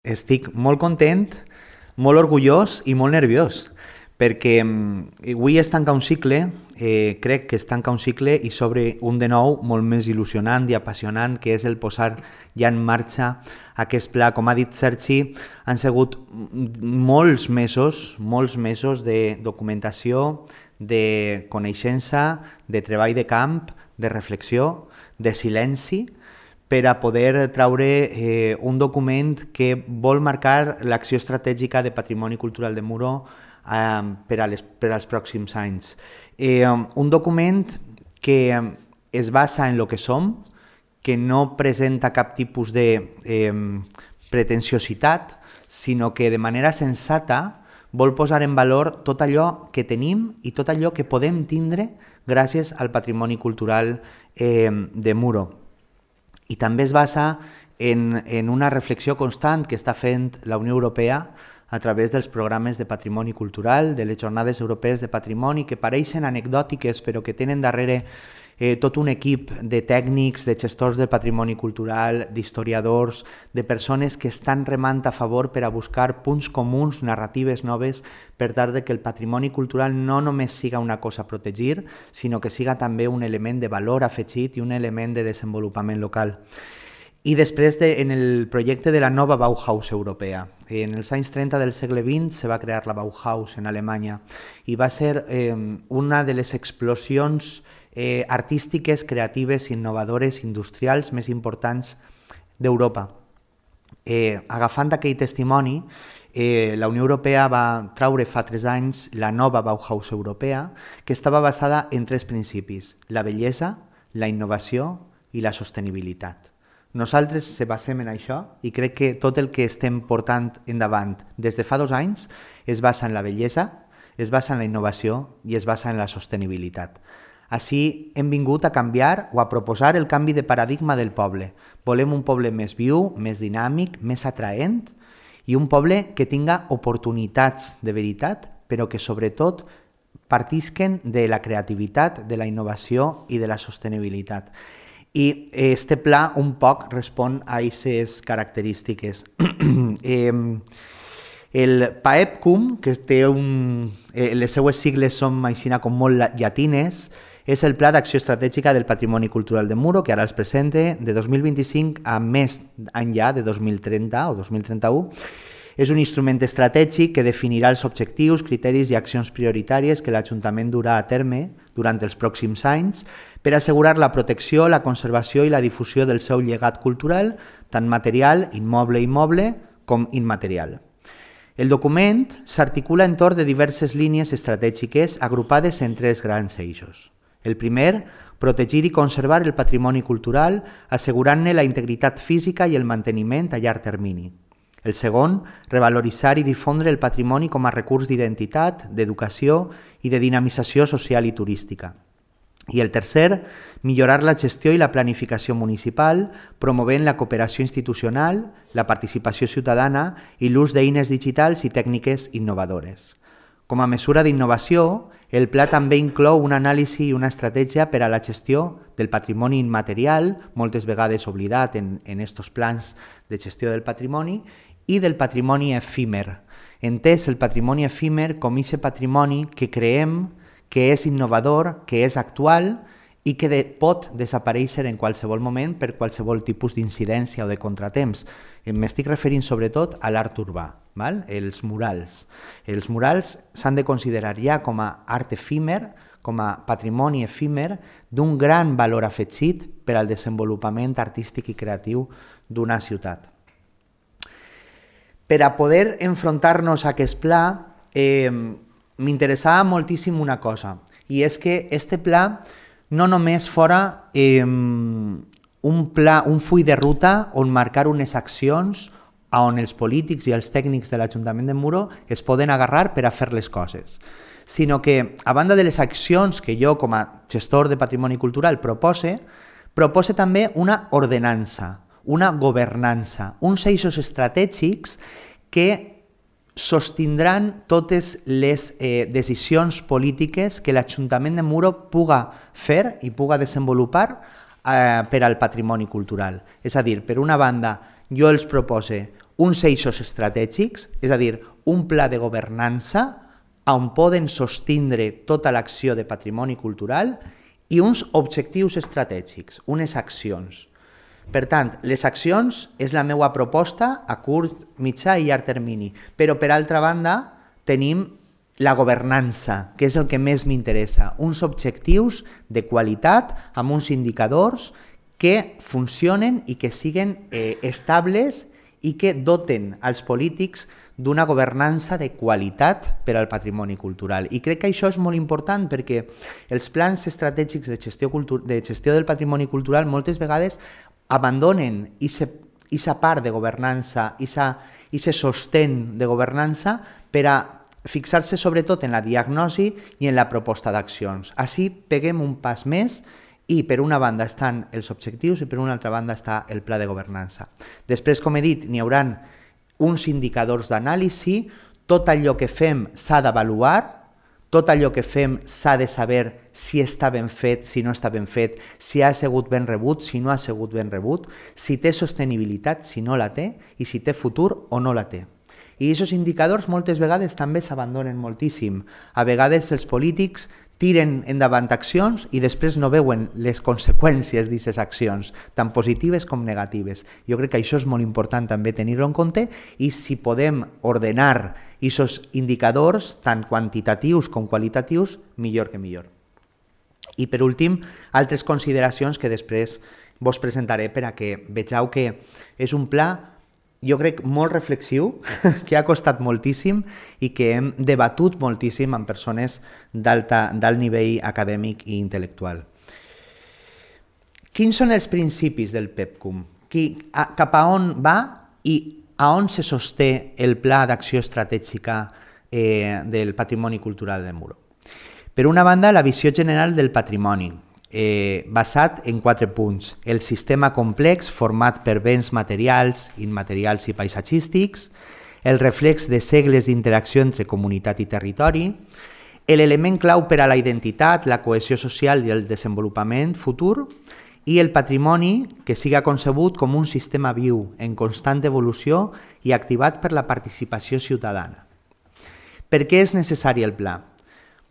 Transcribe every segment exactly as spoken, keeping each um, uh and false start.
Estic molt content, molt orgullós i molt nerviós, perquè mm, avui es tanca un cicle, eh, crec que es tanca un cicle i s'obre un de nou molt més il·lusionant i apassionant, que és el posar ja en marxa aquest pla. Com ha dit Sergi, han sigut molts mesos, molts mesos de documentació, de coneixença, de treball de camp, de reflexió, de silenci, per a poder traure eh, un document que vol marcar l'acció estratègica de patrimoni cultural de Muro eh, per, a les, per als pròxims anys. Eh, un document que es basa en lo que som, que no presenta cap tipus de eh, pretensiositat, sinó que de manera sensata vol posar en valor tot allò que tenim i tot allò que podem tindre gràcies al patrimoni cultural eh, de Muro. I també es basa en, en una reflexió constant que està fent la Unió Europea a través dels programes de patrimoni cultural, de les jornades europees de patrimoni, que pareixen anecdòtiques però que tenen darrere eh, tot un equip de tècnics, de gestors del patrimoni cultural, d'historiadors, de persones que estan remant a favor per a buscar punts comuns, narratives noves, per tal que el patrimoni cultural no només siga una cosa a protegir, sinó que siga també un element de valor afegit i un element de desenvolupament local. I després, de, en el projecte de la nova Bauhaus europea. En els anys trenta del segle vint se va crear la Bauhaus en Alemanya i va ser eh, una de les explosions eh, artístiques, creatives, innovadores, industrials més importants d'Europa. Eh, agafant aquell testimoni, eh, la Unió Europea va traure fa tres anys la nova Bauhaus europea, que estava basada en tres principis: la bellesa, la innovació i la sostenibilitat. Nosaltres se basem en això i crec que tot el que estem portant endavant des de fa dos anys es basa en la bellesa, es basa en la innovació i es basa en la sostenibilitat. Així hem vingut a canviar o a proposar el canvi de paradigma del poble. Volem un poble més viu, més dinàmic, més atraent i un poble que tinga oportunitats de veritat, però que sobretot partisquen de la creativitat, de la innovació i de la sostenibilitat. I este pla un poc respon a aquestes característiques. eh, el PAEPCUM, que té un, eh, les seues sigles són aixina com molt llatines, és el Pla d'Acció Estratègica del Patrimoni Cultural de Muro, que ara els presente de dos mil vint-i-cinc a més enllà de dos mil trenta o dos mil trenta-u. És un instrument estratègic que definirà els objectius, criteris i accions prioritàries que l'Ajuntament durà a terme durant els pròxims anys per assegurar la protecció, la conservació i la difusió del seu llegat cultural, tant material, immoble i immoble, com immaterial. El document s'articula entorn de diverses línies estratègiques agrupades en tres grans eixos. El primer, protegir i conservar el patrimoni cultural, assegurant-ne la integritat física i el manteniment a llarg termini. El segon, revaloritzar i difondre el patrimoni com a recurs d'identitat, d'educació i de dinamització social i turística. I el tercer, millorar la gestió i la planificació municipal, promovent la cooperació institucional, la participació ciutadana i l'ús d'eines digitals i tècniques innovadores. Com a mesura d'innovació, el pla també inclou una anàlisi i una estratègia per a la gestió del patrimoni immaterial, moltes vegades oblidat en, en estos plans de gestió del patrimoni, i del patrimoni efímer. Entès el patrimoni efímer com aquest patrimoni que creem que és innovador, que és actual i que de, pot desaparèixer en qualsevol moment per qualsevol tipus d'incidència o de contratemps. M'estic referint sobretot a l'art urbà, val? Els murals. Els murals s'han de considerar ja com a art efímer, com a patrimoni efímer d'un gran valor afegit per al desenvolupament artístic i creatiu d'una ciutat. Per a poder enfrontar-nos a aquest pla, eh, m'interessava moltíssim una cosa, i és que este pla no només fora eh, un, pla, un full de ruta on marcar unes accions on els polítics i els tècnics de l'Ajuntament de Muro es poden agarrar per a fer les coses, sinó que, a banda de les accions que jo com a gestor de patrimoni cultural propose, propose també una ordenança, una governança, uns eixos estratègics que sostindran totes les eh, decisions polítiques que l'Ajuntament de Muro puga fer i puga desenvolupar eh, per al patrimoni cultural. És a dir, per una banda, jo els propose uns eixos estratègics, és a dir, un pla de governança on poden sostindre tota l'acció de patrimoni cultural i uns objectius estratègics, unes accions. Per tant, les accions és la meva proposta a curt, mitjà i llarg termini, però per altra banda tenim la governança, que és el que més m'interessa, uns objectius de qualitat amb uns indicadors que funcionen i que siguen eh, estables i que doten als polítics d'una governança de qualitat per al patrimoni cultural. I crec que això és molt important perquè els plans estratègics de gestió, de gestió del patrimoni cultural moltes vegades abandonen aquesta part de governança, aquest sostén de governança per a fixar-se sobretot en la diagnosi i en la proposta d'accions. Així peguem un pas més i per una banda estan els objectius i per una altra banda està el pla de governança. Després, com he dit, n'hi haurà uns indicadors d'anàlisi, tot allò que fem s'ha d'avaluar, tot allò que fem s'ha de saber si està ben fet, si no està ben fet, si ha sigut ben rebut, si no ha sigut ben rebut, si té sostenibilitat, si no la té, i si té futur o no la té. I aquests indicadors moltes vegades també s'abandonen moltíssim. A vegades els polítics tiren endavant accions i després no veuen les conseqüències d'aquestes accions, tant positives com negatives. Jo crec que això és molt important també tenir-ho en compte i si podem ordenar aquests indicadors, tant quantitatius com qualitatius, millor que millor. I per últim, altres consideracions que després vos presentaré per a que vegeu que és un pla jo crec molt reflexiu, que ha costat moltíssim i que hem debatut moltíssim amb persones d'alt nivell acadèmic i intel·lectual. Quins són els principis del PEPCUM? Cap a on va i a on se sosté el pla d'acció estratègica eh, del patrimoni cultural de Muro? Per una banda, la visió general del patrimoni, Eh, basat en quatre punts. El sistema complex format per béns materials, immaterials i paisatgístics, el reflex de segles d'interacció entre comunitat i territori, l'element clau per a la identitat, la cohesió social i el desenvolupament futur, i el patrimoni que siga concebut com un sistema viu, en constant evolució i activat per la participació ciutadana. Per què és necessari el pla?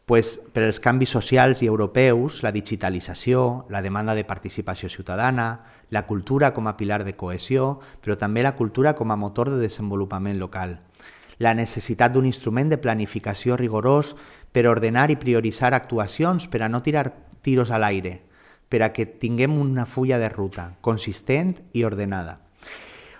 Pues, per als canvis socials i europeus, la digitalització, la demanda de participació ciutadana, la cultura com a pilar de cohesió, però també la cultura com a motor de desenvolupament local. La necessitat d'un instrument de planificació rigorós per ordenar i prioritzar actuacions, per a no tirar tiros a l'aire, per a que tinguem una fulla de ruta consistent i ordenada.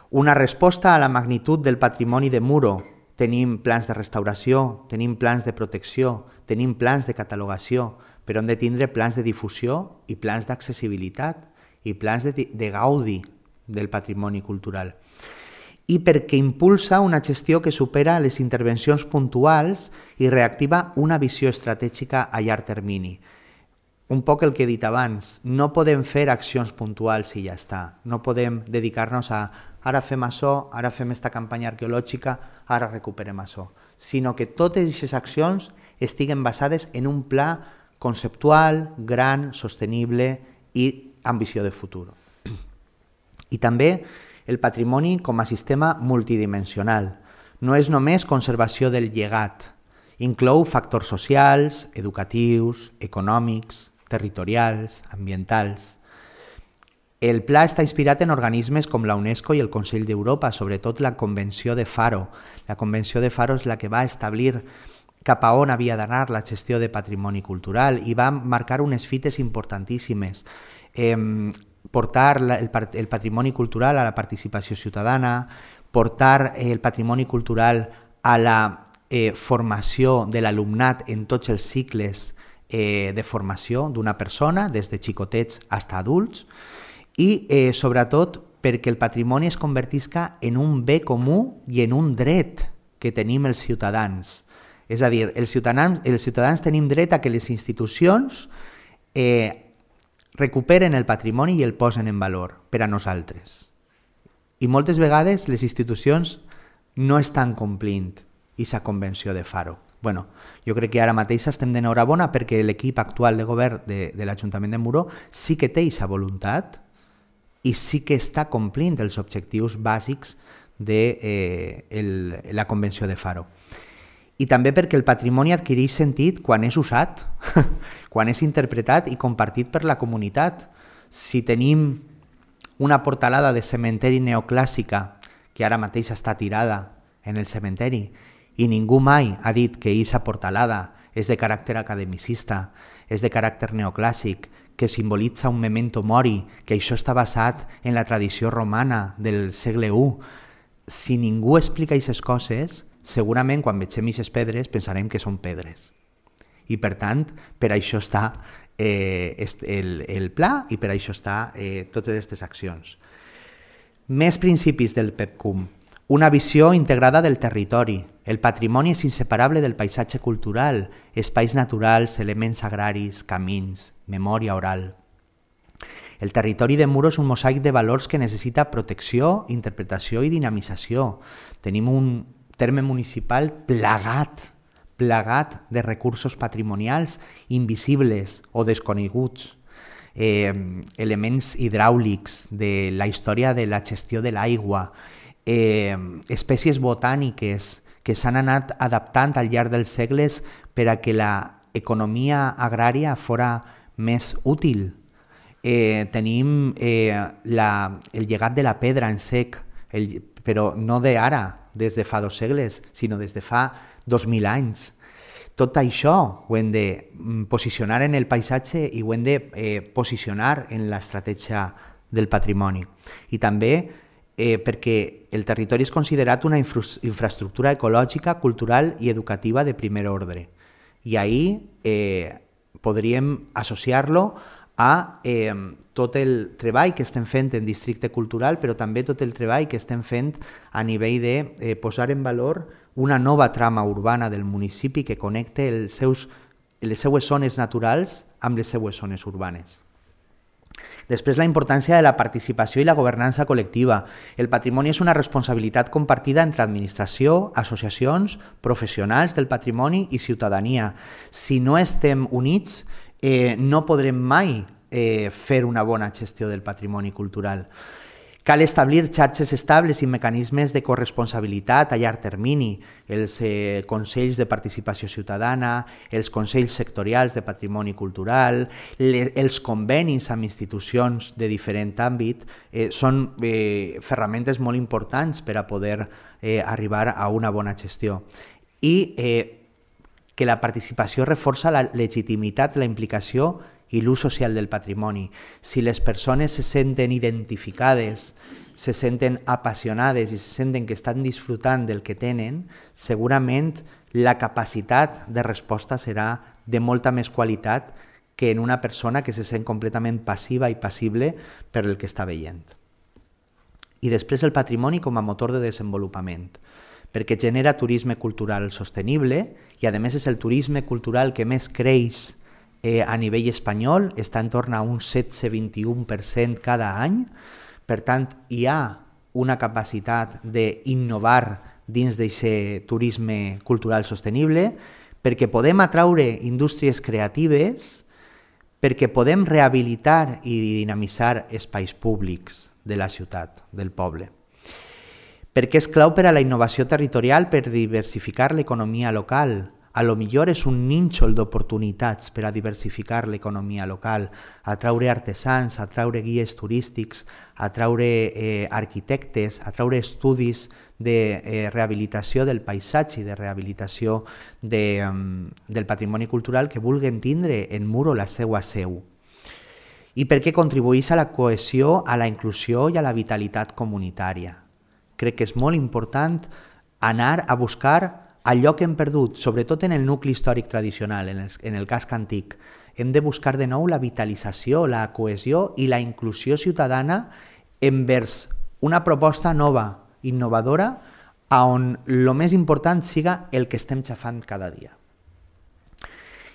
Una resposta a la magnitud del patrimoni de Muro. Tenim plans de restauració, tenim plans de protecció, tenim plans de catalogació, però hem de tindre plans de difusió i plans d'accessibilitat i plans de, de gaudi del patrimoni cultural. I perquè impulsa una gestió que supera les intervencions puntuals i reactiva una visió estratègica a llarg termini. Un poc el que he dit abans, no podem fer accions puntuals i ja està. No podem dedicar-nos a ara fem això, ara fem esta campanya arqueològica, ara recuperem això, sinó que totes aquestes accions estiguen basades en un pla conceptual, gran, sostenible i amb visió de futur. I també el patrimoni com a sistema multidimensional. No és només conservació del llegat, inclou factors socials, educatius, econòmics, territorials, ambientals. El pla està inspirat en organismes com la UNESCO i el Consell d'Europa, sobretot la Convenció de Faro. La Convenció de Faro és la que va establir cap a on havia d'anar la gestió de patrimoni cultural i va marcar unes fites importantíssimes. Eh, portar la, el, el patrimoni cultural a la participació ciutadana, portar eh, el patrimoni cultural a la eh, formació de l'alumnat en tots els cicles eh, de formació d'una persona, des de xicotets fins a adults, i eh, sobretot perquè el patrimoni es convertisca en un bé comú i en un dret que tenim els ciutadans. És a dir, els ciutadans, els ciutadans tenim dret a que les institucions eh, recuperen el patrimoni i el posen en valor per a nosaltres. I moltes vegades les institucions no estan complint aquesta convenció de Faro. Bueno, jo crec que ara mateix estem d'enhorabona perquè l'equip actual de govern de, de l'Ajuntament de Muro sí que té aquesta voluntat i sí que està complint els objectius bàsics de eh, el, la Convenció de Faro. I també perquè el patrimoni adquireix sentit quan és usat, quan és interpretat i compartit per la comunitat. Si tenim una portalada de cementeri neoclàssica que ara mateix està tirada en el cementeri i ningú mai ha dit que aquesta portalada és de caràcter academicista, és de caràcter neoclàssic, que simbolitza un memento mori, que això està basat en la tradició romana del segle u. Si ningú explica aquestes coses, segurament quan vegem aquestes pedres pensarem que són pedres. I per tant, per això està eh, el, el pla i per això està eh, totes aquestes accions. Més principis del PEPCUM. Una visió integrada del territori. El patrimoni és inseparable del paisatge cultural, espais naturals, elements agraris, camins, memòria oral. El territori de Muro és un mosaic de valors que necessita protecció, interpretació i dinamització. Tenim un terme municipal plagat, plagat de recursos patrimonials invisibles o desconeguts. Eh, elements hidràulics de la història de la gestió de l'aigua, eh, espècies botàniques que s'han anat adaptant al llarg dels segles per a que l'economia agrària fora més útil. Eh, tenim eh, la, el llegat de la pedra en sec, el, però no d'ara, des de fa dos segles, sinó des de fa dos mil anys. Tot això ho hem de posicionar en el paisatge i ho hem de eh, posicionar en l'estratègia del patrimoni. I també eh, perquè el territori és considerat una infra infraestructura ecològica, cultural i educativa de primer ordre. I ahir eh, podríem associar-lo a eh, tot el treball que estem fent en districte cultural, però també tot el treball que estem fent a nivell de eh, posar en valor una nova trama urbana del municipi que connecte els seus, les seues zones naturals amb les seues zones urbanes. Després, la importància de la participació i la governança col·lectiva. El patrimoni és una responsabilitat compartida entre administració, associacions, professionals del patrimoni i ciutadania. Si no estem units, eh, no podrem mai eh, fer una bona gestió del patrimoni cultural. Cal establir xarxes estables i mecanismes de corresponsabilitat a llarg termini, els eh, consells de participació ciutadana, els consells sectorials de patrimoni cultural, le, els convenis amb institucions de diferent àmbit, eh, són eh, ferramentes molt importants per a poder eh, arribar a una bona gestió. I eh, que la participació reforça la legitimitat, la implicació i l'ús social del patrimoni. Si les persones se senten identificades, se senten apassionades i se senten que estan disfrutant del que tenen, segurament la capacitat de resposta serà de molta més qualitat que en una persona que se sent completament passiva i passible per el que està veient. I després el patrimoni com a motor de desenvolupament, perquè genera turisme cultural sostenible i a més és el turisme cultural que més creix Eh, a nivell espanyol, està en torn a un setze vint i u per cent cada any. Per tant, hi ha una capacitat d'innovar dins d'aquest turisme cultural sostenible perquè podem atraure indústries creatives, perquè podem rehabilitar i dinamitzar espais públics de la ciutat, del poble. Perquè és clau per a la innovació territorial per diversificar l'economia local. A lo millor és un nínxol d'oportunitats per a diversificar l'economia local, atraure artesans, atraure guies turístics, atraure eh, arquitectes, atraure estudis de eh, rehabilitació del paisatge i de rehabilitació de, um, del patrimoni cultural que vulguen tindre en Muro la seva seu. I perquè contribueix a la cohesió, a la inclusió i a la vitalitat comunitària. Crec que és molt important anar a buscar allò que hem perdut, sobretot en el nucli històric tradicional, en el, en el casc antic. Hem de buscar de nou la vitalització, la cohesió i la inclusió ciutadana envers una proposta nova, innovadora, on el més important siga el que estem xafant cada dia.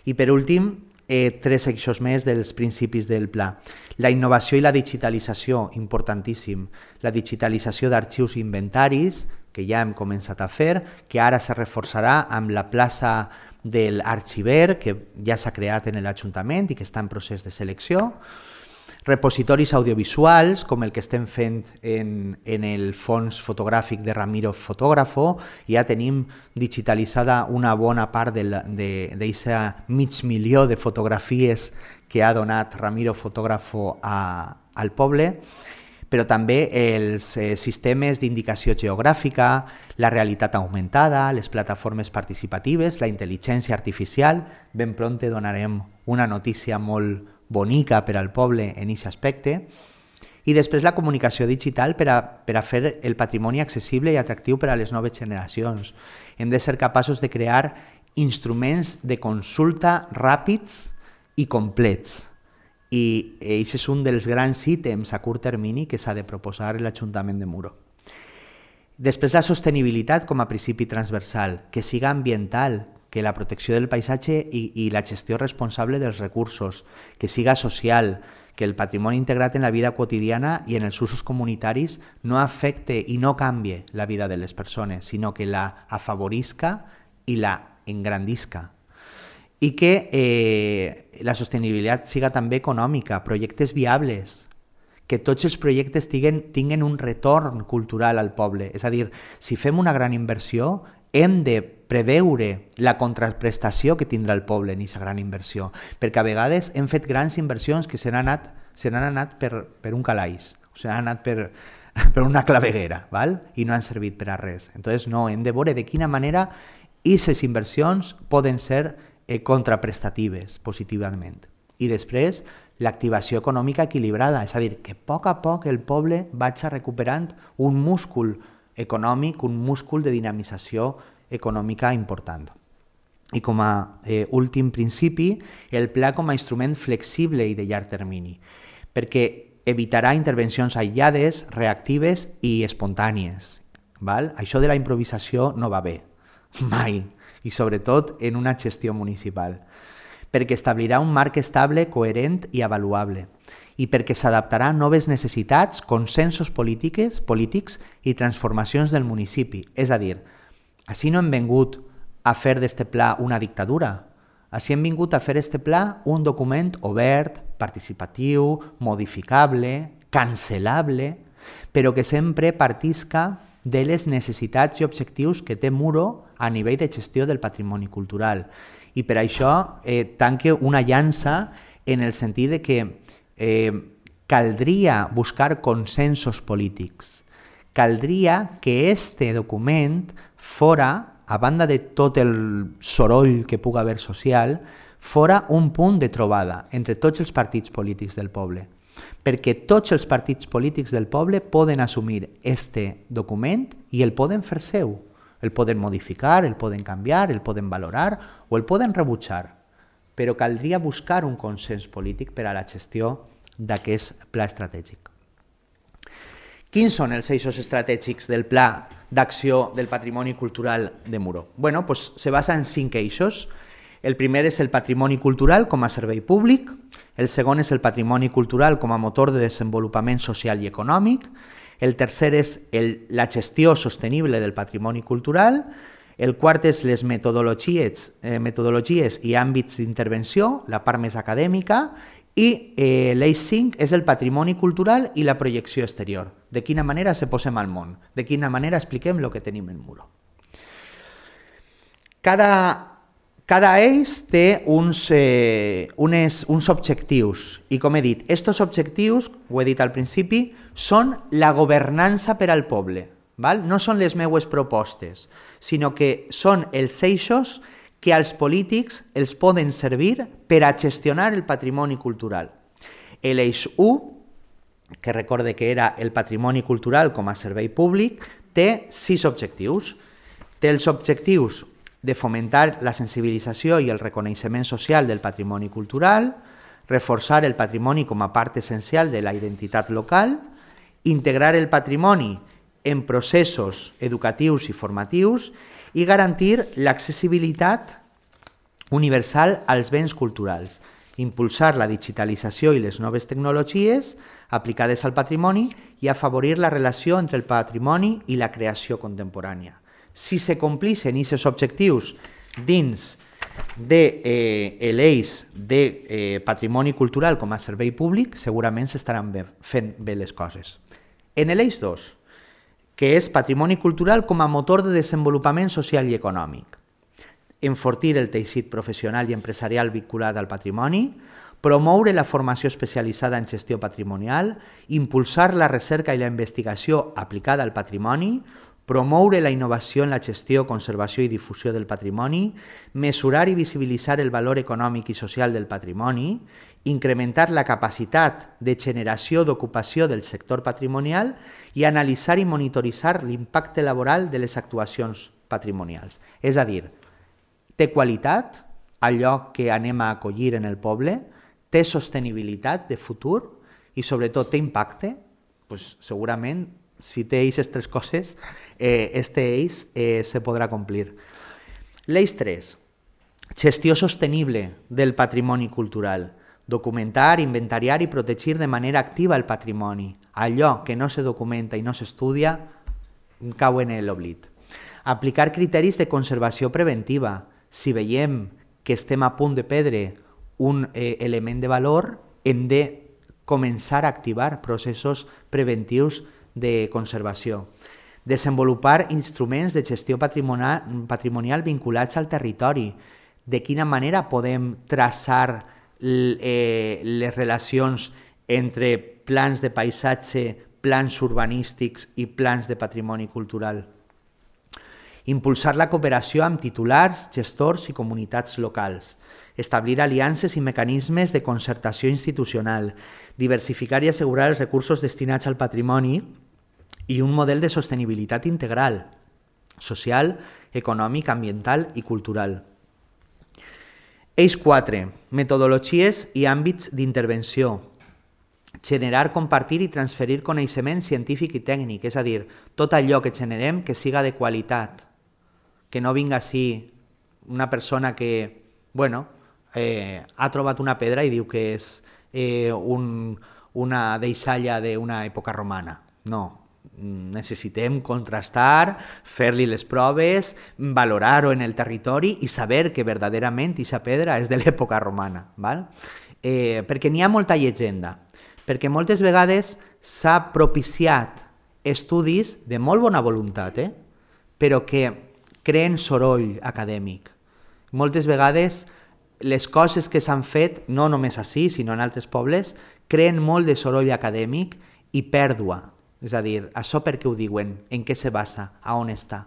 I per últim, eh, tres eixos més dels principis del pla. La innovació i la digitalització, importantíssim. La digitalització d'arxius i inventaris, que ja hem començat a fer, que ara se reforçarà amb la plaça de l'arxiver, que ja s'ha creat en l'Ajuntament i que està en procés de selecció. Repositoris audiovisuals, com el que estem fent en, en el fons fotogràfic de Ramiro Fotógrafo. Ja tenim digitalitzada una bona part d'aquest mig milió de fotografies que ha donat Ramiro Fotógrafo a, al poble, però també els eh, sistemes d'indicació geogràfica, la realitat augmentada, les plataformes participatives, la intel·ligència artificial. Ben prompte donarem una notícia molt bonica per al poble en aquest aspecte, i després la comunicació digital per a, per a fer el patrimoni accessible i atractiu per a les noves generacions. Hem de ser capaços de crear instruments de consulta ràpids i complets, i aquest és un dels grans ítems a curt termini que s'ha de proposar l'Ajuntament de Muro. Després la sostenibilitat com a principi transversal, que siga ambiental, que la protecció del paisatge i, i la gestió responsable dels recursos, que siga social, que el patrimoni integrat en la vida quotidiana i en els usos comunitaris no afecte i no canvie la vida de les persones, sinó que la afavorisca i la engrandisca. I que eh, la sostenibilitat siga també econòmica, projectes viables, que tots els projectes tinguen, tinguen un retorn cultural al poble. És a dir, si fem una gran inversió, hem de preveure la contraprestació que tindrà el poble en aquesta gran inversió, perquè a vegades hem fet grans inversions que se n'han anat, se n'han anat per, per un calaix, o se n'han anat per, per una claveguera, val? I no han servit per a res. Entonces, no, hem de veure de quina manera aquestes inversions poden ser eh, contraprestatives positivament. I després, l'activació econòmica equilibrada, és a dir, que a poc a poc el poble vagi recuperant un múscul econòmic, un múscul de dinamització econòmica important. I com a eh, últim principi, el pla com a instrument flexible i de llarg termini, perquè evitarà intervencions aïllades, reactives i espontànies. Val? Això de la improvisació no va bé, mai, i sobretot en una gestió municipal, perquè establirà un marc estable, coherent i avaluable, i perquè s'adaptarà a noves necessitats, consensos polítics, polítics i transformacions del municipi. És a dir, així no hem vingut a fer d'este pla una dictadura, així hem vingut a fer este pla un document obert, participatiu, modificable, cancel·lable, però que sempre partisca de les necessitats i objectius que té Muro a nivell de gestió del patrimoni cultural. I per això eh, tanque una llança en el sentit de que Eh, caldria buscar consensos polítics. Caldria que este document fora, a banda de tot el soroll que puga haver social, fora un punt de trobada entre tots els partits polítics del poble. Perquè tots els partits polítics del poble poden assumir este document i el poden fer seu. El poden modificar, el poden canviar, el poden valorar o el poden rebutjar. Però caldria buscar un consens polític per a la gestió d'aquest pla estratègic. Quins són els eixos estratègics del pla d'acció del patrimoni cultural de Muro? Bueno, pues se basa en cinc eixos. El primer és el patrimoni cultural com a servei públic, el segon és el patrimoni cultural com a motor de desenvolupament social i econòmic, el tercer és el, la gestió sostenible del patrimoni cultural, el quart és les metodologies, eh, metodologies i àmbits d'intervenció, la part més acadèmica, i eh, l'eix cinc és el patrimoni cultural i la projecció exterior. De quina manera se posem al món, de quina manera expliquem el que tenim en Muro. Cada, cada eix té uns, eh, unes, uns objectius i, com he dit, aquests objectius, ho he dit al principi, són la governança per al poble. Val? No són les meues propostes, sinó que són els eixos que als polítics els poden servir per a gestionar el patrimoni cultural. L'eix u, que recorde que era el patrimoni cultural com a servei públic, té sis objectius. Té els objectius de fomentar la sensibilització i el reconeixement social del patrimoni cultural, reforçar el patrimoni com a part essencial de la identitat local, integrar el patrimoni en processos educatius i formatius i garantir l'accessibilitat universal als béns culturals, impulsar la digitalització i les noves tecnologies aplicades al patrimoni i afavorir la relació entre el patrimoni i la creació contemporània. Si se complixen aquests objectius dins de eh, l'eix de eh, patrimoni cultural com a servei públic, segurament s'estaran fent bé les coses. En l'eix dos, que és patrimoni cultural com a motor de desenvolupament social i econòmic. Enfortir el teixit professional i empresarial vinculat al patrimoni, promoure la formació especialitzada en gestió patrimonial, impulsar la recerca i la investigació aplicada al patrimoni, promoure la innovació en la gestió, conservació i difusió del patrimoni, mesurar i visibilitzar el valor econòmic i social del patrimoni, incrementar la capacitat de generació d'ocupació del sector patrimonial i analitzar i monitoritzar l'impacte laboral de les actuacions patrimonials. És a dir, té qualitat allò que anem a acollir en el poble, té sostenibilitat de futur i sobretot té impacte, doncs segurament si té aquestes tres coses, eh, este eix eh, se podrà complir. L'eix tres, gestió sostenible del patrimoni cultural. Documentar, inventariar i protegir de manera activa el patrimoni. Allò que no se documenta i no s'estudia cau en l'oblit. Aplicar criteris de conservació preventiva. Si veiem que estem a punt de perdre un eh, element de valor, hem de començar a activar processos preventius de conservació. Desenvolupar instruments de gestió patrimonial, patrimonial vinculats al territori. De quina manera podem traçar eh, les relacions entre plans de paisatge, plans urbanístics i plans de patrimoni cultural. Impulsar la cooperació amb titulars, gestors i comunitats locals. Establir aliances i mecanismes de concertació institucional. Diversificar i assegurar els recursos destinats al patrimoni i un model de sostenibilitat integral, social, econòmic, ambiental i cultural. Eix quatre. Metodologies i àmbits d'intervenció. Generar, compartir i transferir coneixement científic i tècnic, és a dir, tot allò que generem que siga de qualitat, que no vinga així una persona que, bueno, eh, ha trobat una pedra i diu que és eh, un, una deixalla d'una època romana. No, necessitem contrastar, fer-li les proves, valorar-ho en el territori i saber que verdaderament aquesta pedra és de l'època romana. Val? Eh, perquè n'hi ha molta llegenda. Perquè moltes vegades s'ha propiciat estudis de molt bona voluntat, eh? però que creen soroll acadèmic. Moltes vegades les coses que s'han fet, no només així, sinó en altres pobles, creen molt de soroll acadèmic i pèrdua. És a dir, això per què ho diuen? En què se basa? A on està?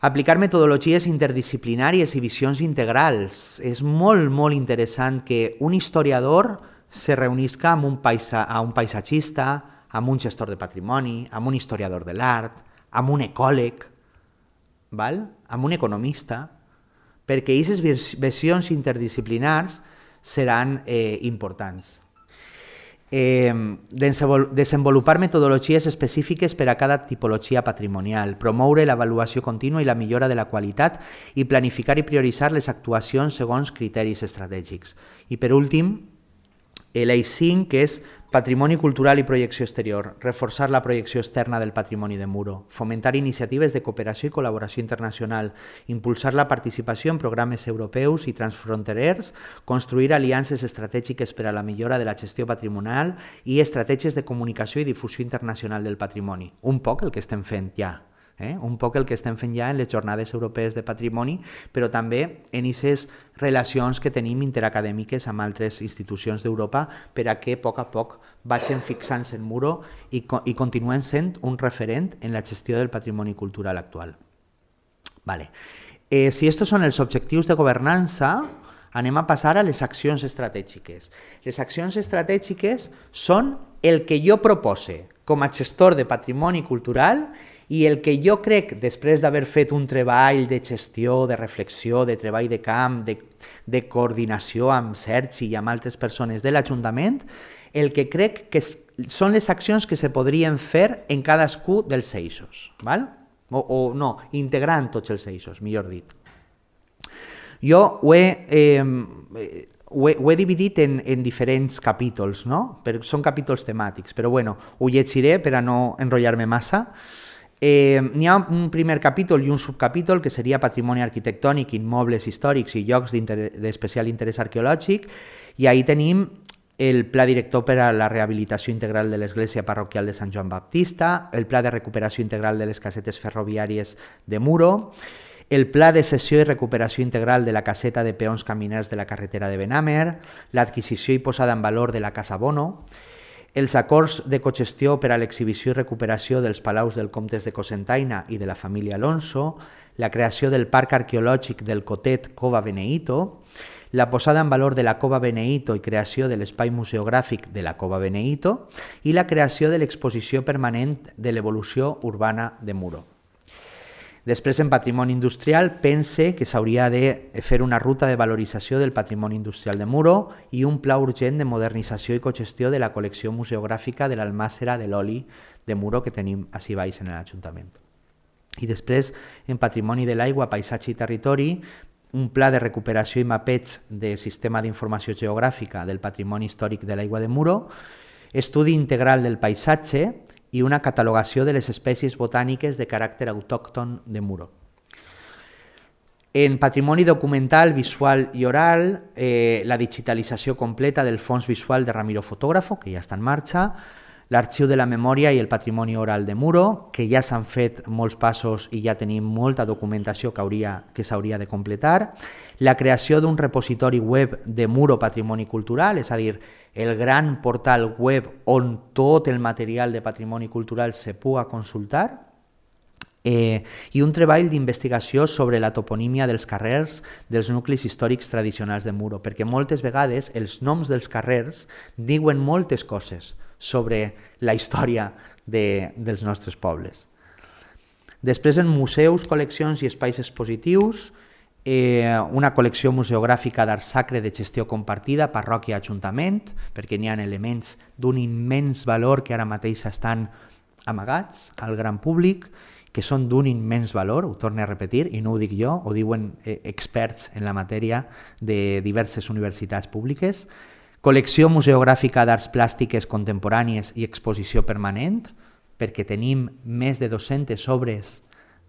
Aplicar metodologies interdisciplinàries i visions integrals. És molt, molt interessant que un historiador se reunisca amb un, paisa, amb un paisatgista, amb un gestor de patrimoni, amb un historiador de l'art, amb un ecòleg, val? Amb un economista, perquè aquestes visions interdisciplinars seran eh, importants. Eh, desenvolupar metodologies específiques per a cada tipologia patrimonial, promoure l'avaluació contínua i la millora de la qualitat i planificar i prioritzar les actuacions segons criteris estratègics. I per últim, l'eix cinc, que és patrimoni cultural i projecció exterior, reforçar la projecció externa del patrimoni de Muro, fomentar iniciatives de cooperació i col·laboració internacional, impulsar la participació en programes europeus i transfronterers, construir aliances estratègiques per a la millora de la gestió patrimonial i estratègies de comunicació i difusió internacional del patrimoni. Un poc el que estem fent ja. Eh? Un poc el que estem fent ja en les jornades europees de patrimoni, però també en aquestes relacions que tenim interacadèmiques amb altres institucions d'Europa per a que a poc a poc vagin fixant-se en Muro i, i continuen sent un referent en la gestió del patrimoni cultural actual. Vale. Eh, si estos són els objectius de governança, anem a passar a les accions estratègiques. Les accions estratègiques són el que jo propose com a gestor de patrimoni cultural i el que jo crec, després d'haver fet un treball de gestió, de reflexió, de treball de camp, de, de coordinació amb Sergi i amb altres persones de l'Ajuntament, el que crec que són les accions que se podrien fer en cadascú dels eixos. Val? O, o no, integrant tots els eixos, millor dit. Jo ho he, eh, ho he, ho he dividit en, en diferents capítols, no? Per, són capítols temàtics, però bueno, ho llegiré per a no enrotllar-me massa. Eh, N'hi ha un primer capítol i un subcapítol que seria patrimoni arquitectònic, immobles històrics i llocs d'especial interès arqueològic, i ahí tenim el pla director per a la rehabilitació integral de l'església parroquial de Sant Joan Baptista, el pla de recuperació integral de les casetes ferroviàries de Muro, el pla de cessió i recuperació integral de la caseta de peons caminers de la carretera de Benàmer, l'adquisició i posada en valor de la Casa Bono, els acords de cogestió per a l'exhibició i recuperació dels palaus del comtes de Cocentaina i de la família Alonso, la creació del parc arqueològic del Cotet Cova Beneito, la posada en valor de la Cova Beneito i creació de l'espai museogràfic de la Cova Beneito i la creació de l'exposició permanent de l'evolució urbana de Muro. Després, en patrimoni industrial, pense que s'hauria de fer una ruta de valorització del patrimoni industrial de Muro i un pla urgent de modernització i cogestió de la col·lecció museogràfica de l'almàssera de l'oli de Muro que tenim ací baix en l'Ajuntament. I després, en patrimoni de l'aigua, paisatge i territori, un pla de recuperació i mapeig del sistema d'informació geogràfica del patrimoni històric de l'aigua de Muro, estudi integral del paisatge i una catalogació de les espècies botàniques de caràcter autòcton de Muro. En patrimoni documental, visual i oral, eh, la digitalització completa del fons visual de Ramiro Fotógrafo, que ja està en marxa, l'arxiu de la memòria i el patrimoni oral de Muro, que ja s'han fet molts passos i ja tenim molta documentació que hauria, que s'hauria de completar, la creació d'un repositori web de Muro Patrimoni Cultural, és a dir, el gran portal web on tot el material de patrimoni cultural se puga consultar, eh, i un treball d'investigació sobre la toponímia dels carrers dels nuclis històrics tradicionals de Muro, perquè moltes vegades els noms dels carrers diuen moltes coses sobre la història de, dels nostres pobles. Després, en museus, col·leccions i espais expositius, eh, una col·lecció museogràfica d'art sacre de gestió compartida, parròquia-ajuntament, perquè n'hi ha elements d'un immens valor que ara mateix estan amagats al gran públic, que són d'un immens valor, ho torno a repetir, i no ho dic jo, ho diuen eh, experts en la matèria de diverses universitats públiques, col·lecció museogràfica d'arts plàstiques contemporànies i exposició permanent, perquè tenim més de dues-centes obres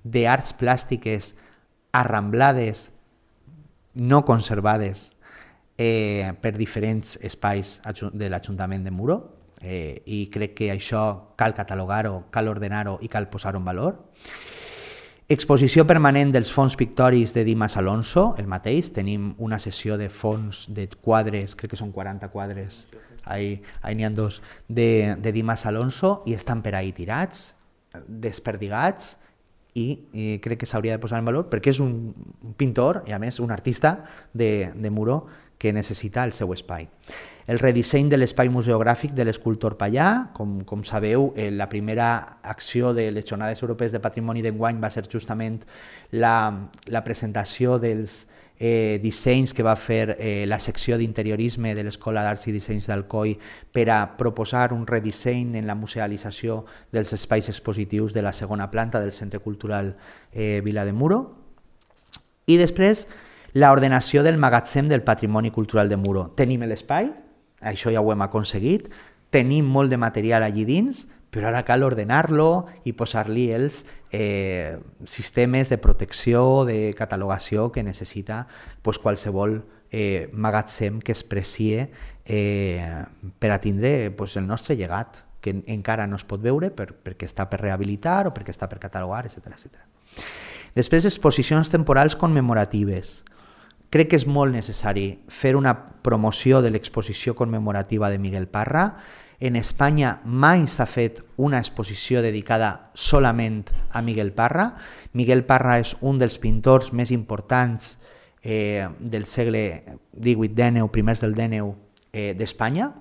d'arts plàstiques arramblades, no conservades, eh, per diferents espais de l'Ajuntament de Muro, eh, i crec que això cal catalogar-ho, cal ordenar-ho i cal posar-ho en valor. Exposició permanent dels fons pictòrics de Dimas Alonso, el mateix, tenim una sessió de fons de quadres, crec que són quaranta quadres, ahí n'hi ha dos, de, de Dimas Alonso, i estan per ahí tirats, desperdigats, i, i crec que s'hauria de posar en valor perquè és un, un pintor i a més un artista de, de Muro que necessita el seu espai. El redisseny de l'espai museogràfic de l'escultor Pallà, com, com sabeu, eh, la primera acció de les Jornades Europees de Patrimoni d'enguany va ser justament la, la presentació dels eh, dissenys que va fer eh, la secció d'interiorisme de l'Escola d'Arts i Dissenys d'Alcoi per a proposar un redisseny en la musealització dels espais expositius de la segona planta del Centre Cultural eh, Vila de Muro. I després, l'ordenació del magatzem del patrimoni cultural de Muro. Tenim l'espai, això ja ho hem aconseguit, tenim molt de material allí dins, però ara cal ordenar-lo i posar-li els eh, sistemes de protecció, de catalogació que necessita pues, qualsevol eh, magatzem que es precie eh, per a tindre pues, el nostre llegat, que encara no es pot veure per, perquè està per rehabilitar o perquè està per catalogar, etcètera etcètera. Després, exposicions temporals commemoratives. Crec que és molt necessari fer una promoció de l'exposició commemorativa de Miguel Parra. En Espanya mai s'ha fet una exposició dedicada solament a Miguel Parra. Miguel Parra és un dels pintors més importants eh, del segle divuit dèneu, primers del dèneu eh, d'Espanya.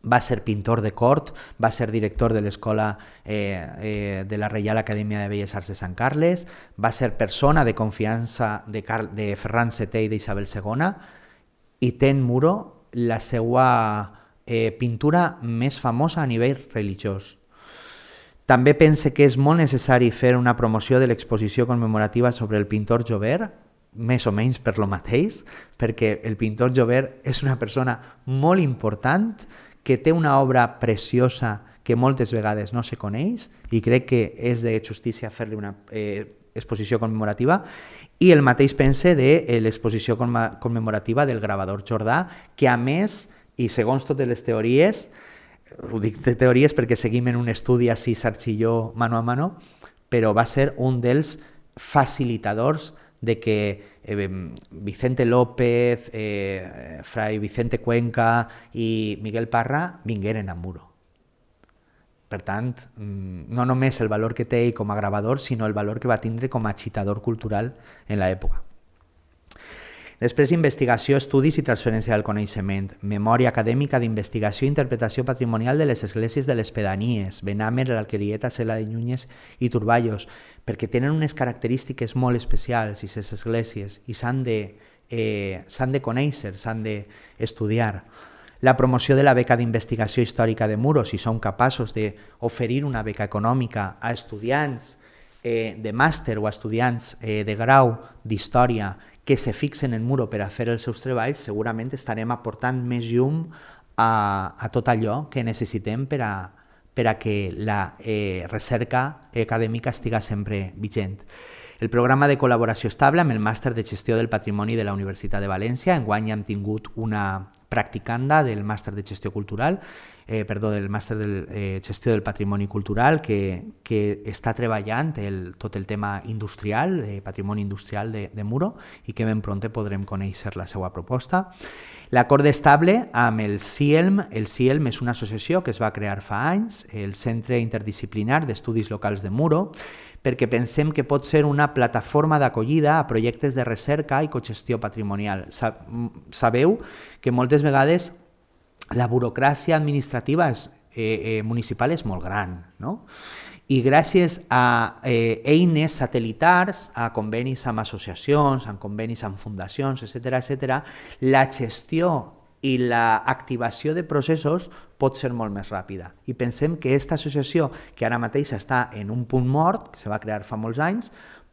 Va ser pintor de cort, va ser director de l'Escola eh, eh, de la Reial Acadèmia de Belles Arts de Sant Carles, va ser persona de confiança de, Car de Ferran setè i d'Isabel segona, i té en Muro la seva eh, pintura més famosa a nivell religiós. També pense que és molt necessari fer una promoció de l'exposició commemorativa sobre el pintor Jover, més o menys per lo mateix, perquè el pintor Jover és una persona molt important que té una obra preciosa que moltes vegades no se coneix i crec que és de justícia fer-li una eh, exposició commemorativa, i el mateix pense de l'exposició commemorativa del gravador Jordà, que a més, i segons totes les teories, ho dic de teories perquè seguim en un estudi així Sarchilló mano a mano, però va ser un dels facilitadors de que eh, Vicente López, eh, Fray Vicente Cuenca i Miguel Parra vingueren a Muro. Per tant, no només el valor que té ell com a gravador, sinó el valor que va tindre com a agitador cultural en l'època. Després, investigació, estudis i transferència del coneixement, memòria acadèmica d'investigació i interpretació patrimonial de les esglésies de les pedanies, Benàmer, l'Alquerieta, Cela de Núñez i Turballos, perquè tenen unes característiques molt especials, i les esglésies, i s'han de, eh, s'han de conèixer, s'han d'estudiar. La promoció de la beca d'investigació històrica de Muro, si som capaços d'oferir una beca econòmica a estudiants eh, de màster o a estudiants eh, de grau d'història que se fixen en Muro per a fer els seus treballs, segurament estarem aportant més llum a, a tot allò que necessitem per a, per a que la eh, recerca acadèmica estiga sempre vigent. El programa de col·laboració estable amb el màster de gestió del patrimoni de la Universitat de València. Enguany hem tingut una practicanda del màster de gestió cultural, eh, perdó, del màster de eh, gestió del patrimoni cultural que, que està treballant el, tot el tema industrial, de patrimoni industrial de, de Muro, i que ben pront podrem conèixer la seva proposta. L'acord estable amb el CIELM. El CIELM és una associació que es va crear fa anys, el Centre Interdisciplinar d'Estudis Locals de Muro, perquè pensem que pot ser una plataforma d'acollida a projectes de recerca i cogestió patrimonial. Sabeu que moltes vegades la burocràcia administrativa és, eh, eh, municipal és molt gran, no? I gràcies a eh, eines satellitars, a convenis amb associacions, a convenis amb fundacions, etcètera, etcètera, la gestió i l'activació de processos pot ser molt més ràpida. I pensem que aquesta associació, que ara mateix està en un punt mort, que se va crear fa molts anys,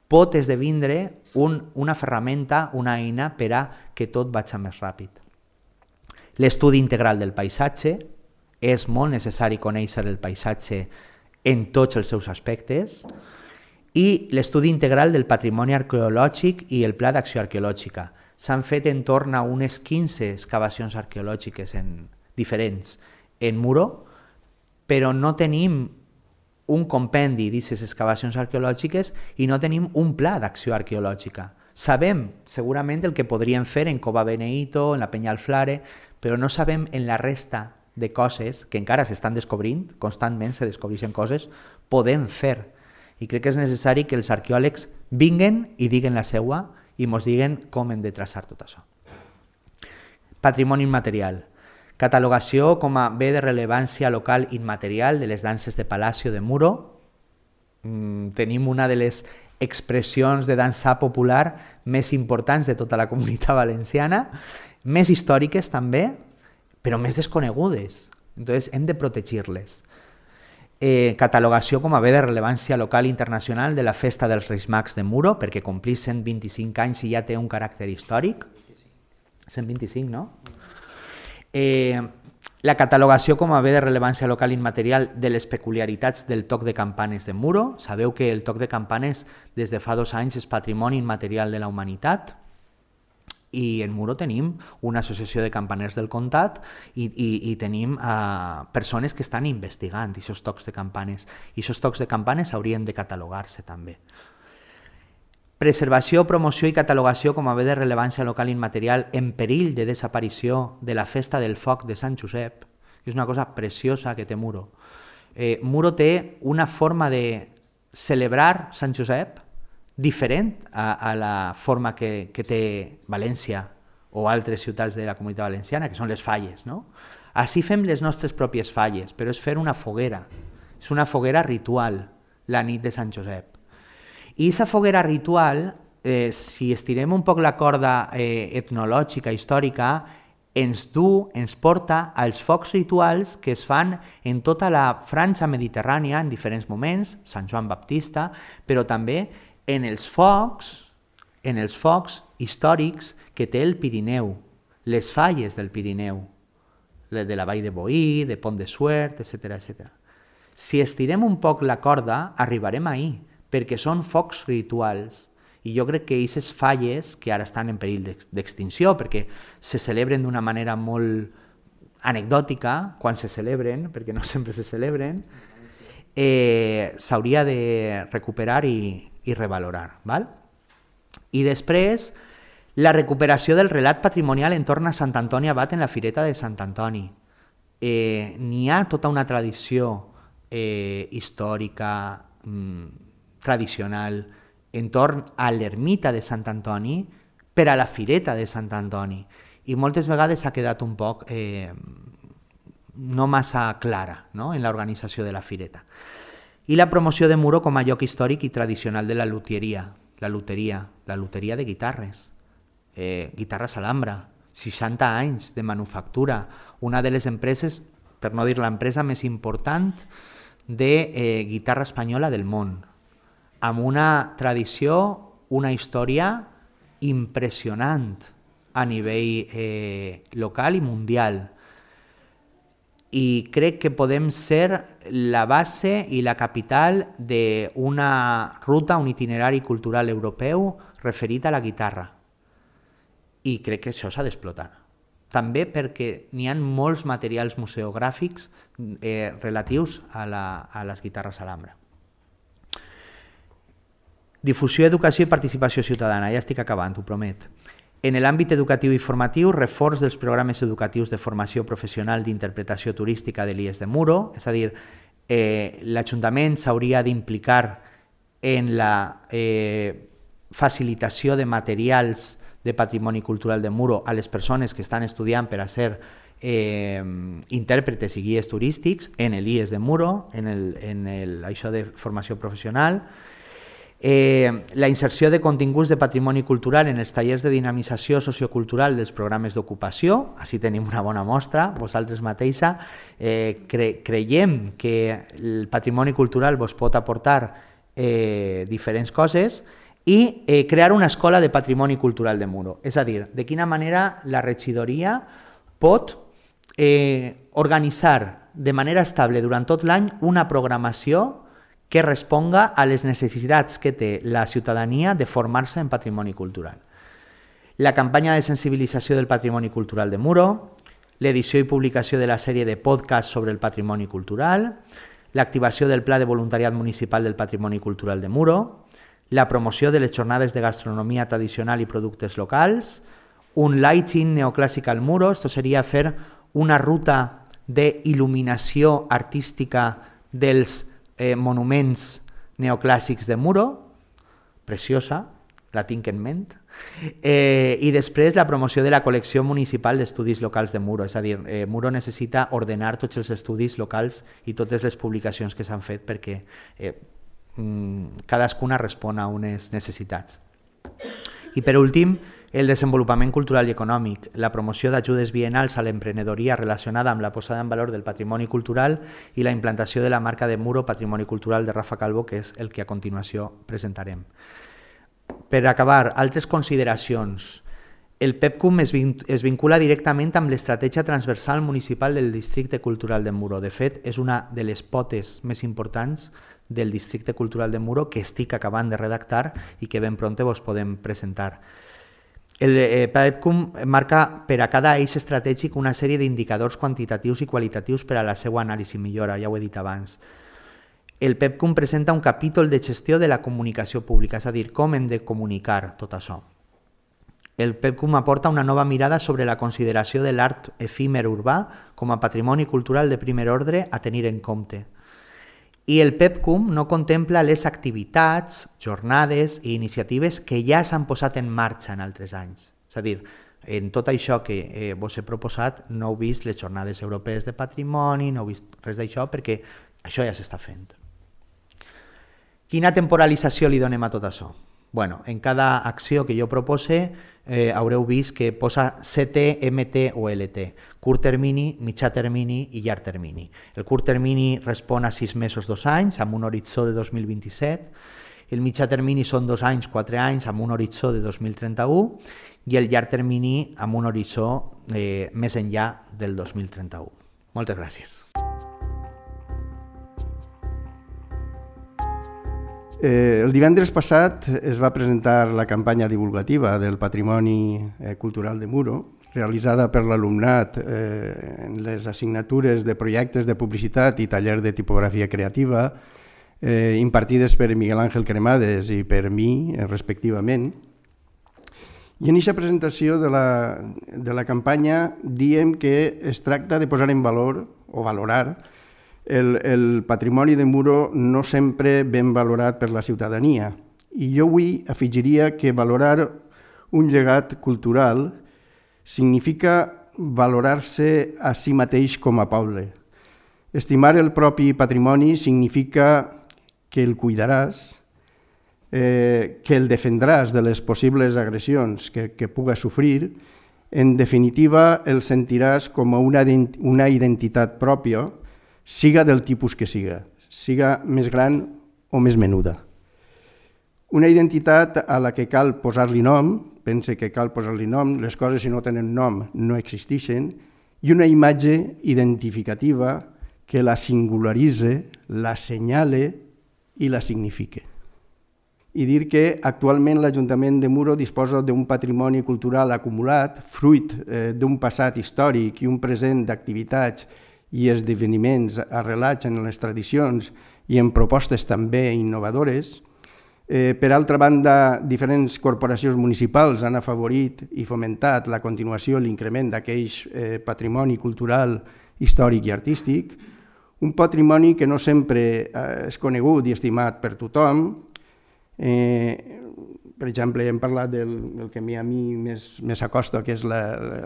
pot esdevindre un, una ferramenta, una eina per a que tot vagi més ràpid. L'estudi integral del paisatge. És molt necessari conèixer el paisatge en tots els seus aspectes. I l'estudi integral del patrimoni arqueològic i el pla d'acció arqueològica. S'han fet en torn a unes quinze excavacions arqueològiques en, diferents en Muro, però no tenim un compendi d'aquestes excavacions arqueològiques i no tenim un pla d'acció arqueològica. Sabem segurament el que podríem fer en Cova Beneito, en la Penya Alflare, però no sabem en la resta de coses que encara s'estan descobrint, constantment se descobreixen coses, podem fer. I crec que és necessari que els arqueòlegs vinguen i diguen la seua i ens diguen com hem de traçar tot això. Patrimoni immaterial. Catalogació com a bé de rellevància local immaterial de les danses de Palacio de Muro. Mm, tenim una de les expressions de dansa popular més importants de tota la comunitat valenciana, més històriques també, però més desconegudes. Entonces hem de protegir-les. Eh, catalogació com a bé de rellevància local internacional de la Festa dels Reis Mags de Muro, perquè complir cent vint-i-cinc anys i ja té un caràcter històric. cent vint-i-cinc, no? Eh, la catalogació com a bé de rellevància local immaterial de les peculiaritats del toc de campanes de Muro. Sabeu que el toc de campanes des de fa dos anys és patrimoni immaterial de la humanitat. I en Muro tenim una associació de campaners del comtat i, i, i tenim uh, persones que estan investigant aquests tocs de campanes. I aquests tocs de campanes haurien de catalogar-se també. Preservació, promoció i catalogació com a bé de rellevància local immaterial en perill de desaparició de la Festa del Foc de Sant Josep. És una cosa preciosa que té Muro. Eh, Muro té una forma de celebrar Sant Josep diferent a, a la forma que, que té València o altres ciutats de la comunitat valenciana, que són les falles, no? Així fem les nostres pròpies falles, però és fer una foguera. És una foguera ritual, la nit de Sant Josep. I aquesta foguera ritual, eh, si estirem un poc la corda eh, etnològica, històrica, ens du, ens porta als focs rituals que es fan en tota la franja mediterrània en diferents moments, Sant Joan Baptista, però també en els focs, en els focs històrics que té el Pirineu, les falles del Pirineu, de la Vall de Boí, de Pont de Suert, etcètera, etcètera. Si estirem un poc la corda, arribarem ahir, perquè són focs rituals. I jo crec que aquestes falles, que ara estan en perill d'extinció, perquè se celebren d'una manera molt anecdòtica, quan se celebren, perquè no sempre se celebren, eh, s'hauria de recuperar i, i revalorar. Val? I després, la recuperació del relat patrimonial entorn a Sant Antoni Abat en la Fireta de Sant Antoni. Eh, N'hi ha tota una tradició eh, històrica, mm, tradicional, entorn a l'ermita de Sant Antoni per a la Fireta de Sant Antoni. I moltes vegades s'ha quedat un poc eh, no massa clara, no?, en l'organització de la Fireta. I la promoció de Muro com a lloc històric i tradicional de la luteria, la luteria, la luteria de guitarres, eh, Guitarres Alhambra, seixanta anys de manufactura, una de les empreses, per no dir l'empresa més important de eh, guitarra espanyola del món, amb una tradició, una història impressionant a nivell eh, local i mundial. I crec que podem ser la base i la capital d'una ruta, un itinerari cultural europeu referit a la guitarra. I crec que això s'ha d'explotar. També perquè n'hi ha molts materials museogràfics eh, relatius a, la, a les guitarres Alhambra. Difusió, educació i participació ciutadana. Ja estic acabant, ho promet. En l'àmbit educatiu i formatiu, reforç dels programes educatius de formació professional d'interpretació turística de l'I E S de Muro, és a dir, eh, l'Ajuntament s'hauria d'implicar en la eh, facilitació de materials de patrimoni cultural de Muro a les persones que estan estudiant per a ser eh, intèrpretes i guies turístics en l'I E S de Muro, en, el, en el, això de formació professional. Eh, la inserció de continguts de patrimoni cultural en els tallers de dinamització sociocultural dels programes d'ocupació, així tenim una bona mostra, vosaltres mateixa, eh, cre creiem que el patrimoni cultural vos pot aportar eh, diferents coses, i eh, crear una escola de patrimoni cultural de Muro, és a dir, de quina manera la regidoria pot eh, organitzar de manera estable durant tot l'any una programació que responga a les necessitats que té la ciutadania de formar-se en patrimoni cultural. La campanya de sensibilització del patrimoni cultural de Muro, l'edició i publicació de la sèrie de podcasts sobre el patrimoni cultural, l'activació del Pla de Voluntariat Municipal del Patrimoni Cultural de Muro, la promoció de les jornades de gastronomia tradicional i productes locals, un lighting neoclàssic al Muro, esto seria fer una ruta d'il·luminació artística dels Eh, monuments neoclàssics de Muro, preciosa, la tinc en ment, eh, i després la promoció de la col·lecció municipal d'estudis locals de Muro, és a dir, eh, Muro necessita ordenar tots els estudis locals i totes les publicacions que s'han fet perquè eh, cadascuna respon a unes necessitats. I per últim, el desenvolupament cultural i econòmic, la promoció d'ajudes biennals a l'emprenedoria relacionada amb la posada en valor del patrimoni cultural i la implantació de la marca de Muro Patrimoni Cultural de Rafa Calvo, que és el que a continuació presentarem. Per acabar, altres consideracions. El PEPCUM es, vin es vincula directament amb l'estratègia transversal municipal del Districte Cultural de Muro. De fet, és una de les potes més importants del Districte Cultural de Muro que estic acabant de redactar i que ben pronte vos podem presentar. El eh, PEPCUM marca per a cada eix estratègic una sèrie d'indicadors quantitatius i qualitatius per a la seva anàlisi i millora, ja ho he dit abans. El PEPCUM presenta un capítol de gestió de la comunicació pública, és a dir, com hem de comunicar tot això. El PEPCUM aporta una nova mirada sobre la consideració de l'art efímer urbà com a patrimoni cultural de primer ordre a tenir en compte. I el PEPCUM no contempla les activitats, jornades i iniciatives que ja s'han posat en marxa en altres anys. És a dir, en tot això que eh, vos he proposat no heu vist les jornades europees de patrimoni, no heu vist res d'això perquè això ja s'està fent. Quina temporalització li donem a tot això? Bueno, en cada acció que jo propose eh, haureu vist que posa C T, M T o L T, curt termini, mitjà termini i llarg termini. El curt termini respon a sis mesos, dos anys, amb un horitzó de dos mil vint-i-set, el mitjà termini són dos anys, quatre anys, amb un horitzó de dos mil trenta-u, i el llarg termini amb un horitzó eh, més enllà del dos mil trenta-u. Moltes gràcies. Eh, el divendres passat es va presentar la campanya divulgativa del Patrimoni eh, Cultural de Muro, realitzada per l'alumnat eh, en les assignatures de projectes de publicitat i taller de tipografia creativa, eh, impartides per Miguel Ángel Cremades i per mi, eh, respectivament. I en aquesta presentació de la, de la campanya diem que es tracta de posar en valor o valorar el, el patrimoni de Muro no sempre ben valorat per la ciutadania. I jo avui afegiria que valorar un llegat cultural significa valorar-se a si mateix com a poble. Estimar el propi patrimoni significa que el cuidaràs, eh, que el defendràs de les possibles agressions que, que puga sofrir. En definitiva, el sentiràs com una, una identitat pròpia, siga del tipus que siga, siga més gran o més menuda. Una identitat a la que cal posar-li nom, pense que cal posar-li nom, les coses si no tenen nom no existeixen, i una imatge identificativa que la singularitze, la senyale i la signifique. I dir que actualment l'Ajuntament de Muro disposa d'un patrimoni cultural acumulat, fruit eh, d'un passat històric i un present d'activitats i esdeveniments arrelats en les tradicions i en propostes també innovadores. Eh, per altra banda, diferents corporacions municipals han afavorit i fomentat la continuació i l'increment d'aquell eh, patrimoni cultural, històric i artístic, un patrimoni que no sempre eh, és conegut i estimat per tothom. Eh, per exemple, hem parlat del, del que a mi més, més acosta, que és la,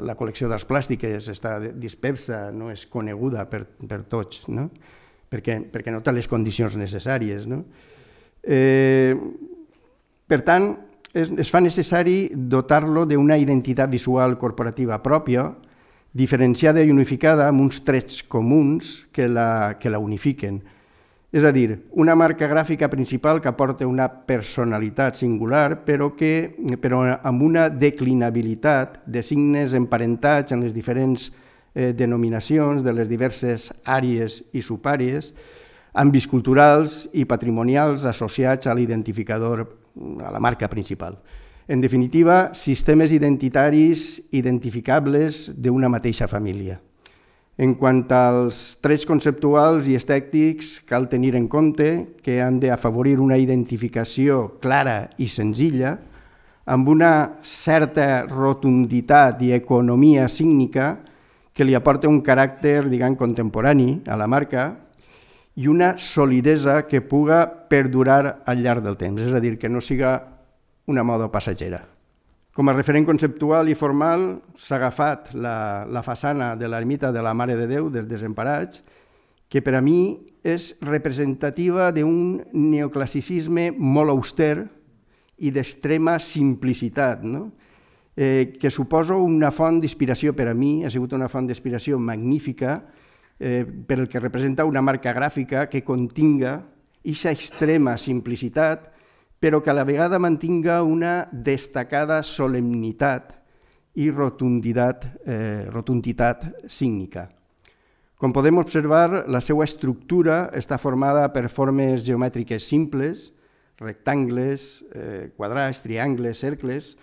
la col·lecció d'arts plàstiques, està dispersa, no és coneguda per, per tots, no? perquè, perquè no té les condicions necessàries. No? Eh, per tant, es, es fa necessari dotar-lo d'una identitat visual corporativa pròpia, diferenciada i unificada amb uns trets comuns que la, que la unifiquen. És a dir, una marca gràfica principal que aporta una personalitat singular, però, que, però amb una declinabilitat de signes emparentats en les diferents eh, denominacions de les diverses àrees i subàrees, àmbits culturals i patrimonials associats a l'identificador, a la marca principal. En definitiva, sistemes identitaris identificables d'una mateixa família. En quant als trets conceptuals i estètics, cal tenir en compte que han d'afavorir una identificació clara i senzilla, amb una certa rotunditat i economia sígnica que li aporta un caràcter, diguem, contemporani a la marca i una solidesa que puga perdurar al llarg del temps, és a dir, que no siga una moda passatgera. Com a referent conceptual i formal s'ha agafat la, la façana de l'ermita de la Mare de Déu dels Desemparats, que per a mi és representativa d'un neoclassicisme molt auster i d'extrema simplicitat, no? eh, que suposa una font d'inspiració per a mi, ha sigut una font d'inspiració magnífica eh, per el que representa una marca gràfica que continga aquesta extrema simplicitat, però que a la vegada mantinga una destacada solemnitat i rotunditat, eh, rotunditat sígnica. Com podem observar, la seva estructura està formada per formes geomètriques simples, rectangles, eh, quadrats, triangles, cercles,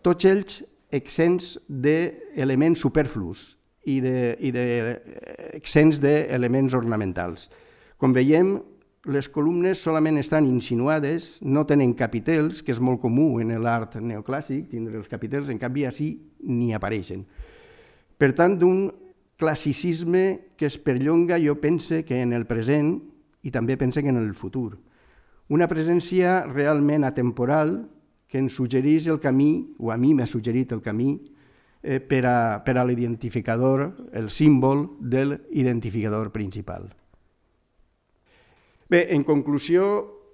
tots ells exempts d'elements superflus i exempts d'elements ornamentals. Com veiem, les columnes solament estan insinuades, no tenen capitels, que és molt comú en l'art neoclàssic, tindre els capitels, en canvi així ni apareixen. Per tant, d'un classicisme que es perllonga, jo pense que en el present i també pense que en el futur. Una presència realment atemporal que ens suggereix el camí, o a mi m'ha suggerit el camí, eh, per a, per a l'identificador, el símbol de l'identificador principal. Bé, en conclusió,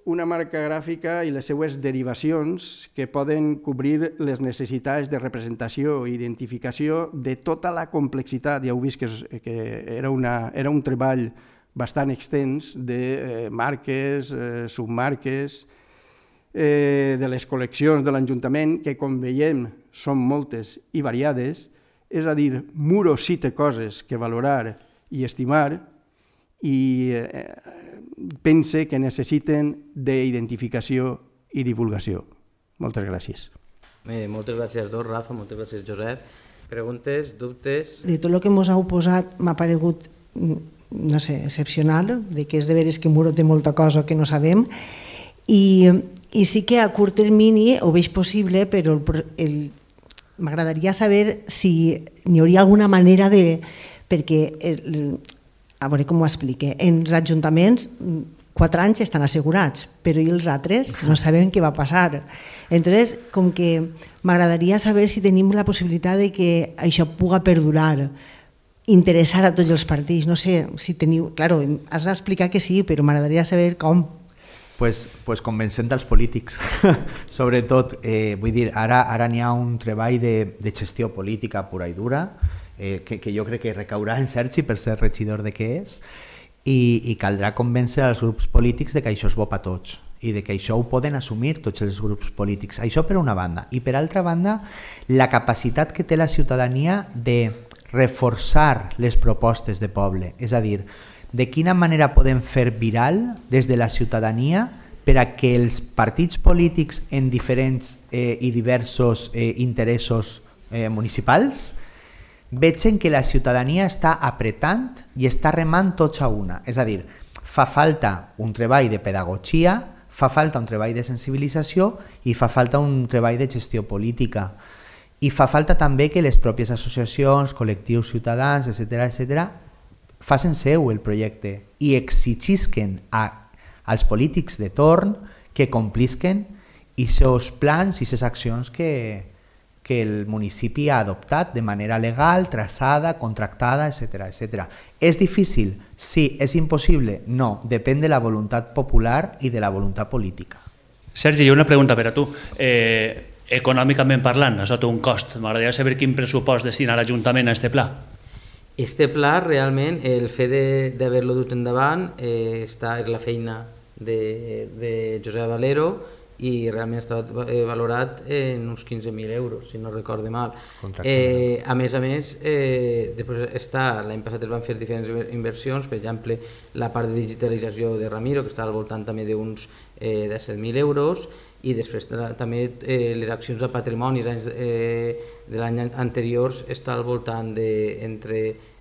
una marca gràfica i les seues derivacions que poden cobrir les necessitats de representació i identificació de tota la complexitat. Ja heu vist que, que era, una, era un treball bastant extens de eh, marques, eh, submarques, eh, de les col·leccions de l'Ajuntament, que com veiem són moltes i variades, és a dir, Muro sí té coses que valorar i estimar, i eh, pense que necessiten d'identificació i divulgació. Moltes gràcies. Eh, moltes gràcies a dos, Rafa, moltes gràcies, Josep. Preguntes, dubtes? De tot el que ens heu posat m'ha paregut, no sé, excepcional, de que és de veres que Muro té molta cosa que no sabem, i, i sí que a curt termini ho veig possible, però el, el, m'agradaria saber si n'hi hauria alguna manera de... perquè, el, a veure com ho explique, en els ajuntaments quatre anys estan assegurats, però i els altres no sabem què va passar. Entonces, com que m'agradaria saber si tenim la possibilitat de que això puga perdurar, interessar a tots els partits, no sé, si teniu... Claro, has d'explicar que sí, però m'agradaria saber com. Pues, pues convencent dels polítics, sobretot, eh, vull dir, ara, ara n'hi ha un treball de, de gestió política pura i dura, eh, que, que jo crec que recaurà en Sergi per ser regidor de què és, i, i caldrà convèncer els grups polítics de que això és bo per tots i de que això ho poden assumir tots els grups polítics. Això per una banda. I per altra banda, la capacitat que té la ciutadania de reforçar les propostes de poble, és a dir, de quina manera podem fer viral des de la ciutadania per a que els partits polítics en diferents eh, i diversos eh, interessos eh, municipals vegin que la ciutadania està apretant i està remant tots a una. És a dir, fa falta un treball de pedagogia, fa falta un treball de sensibilització i fa falta un treball de gestió política. I fa falta també que les pròpies associacions, col·lectius ciutadans, etcètera, etcètera, facin seu el projecte i exigisquen a, als polítics de torn que complisquen aquests plans i aquestes accions que, que el municipi ha adoptat de manera legal, traçada, contractada, etcètera, etcètera. És difícil? Sí. És impossible? No. Depèn de la voluntat popular i de la voluntat política. Sergi, hi ha una pregunta per a tu. Eh, econòmicament parlant, això té un cost. M'agradaria saber quin pressupost destina l'Ajuntament a aquest pla. Este pla, realment, el fet d'haver-lo dut endavant eh, està, és la feina de, de Josep Valero i realment està valorat en uns quinze mil euros, si no recorde mal. Eh, a més a més, eh, després està, l'any passat es van fer diferents inversions, per exemple, la part de digitalització de Ramiro, que està al voltant també d'uns eh, disset mil euros, i després també eh, les accions de patrimoni anys, eh, de l'any anteriors està al voltant de, entre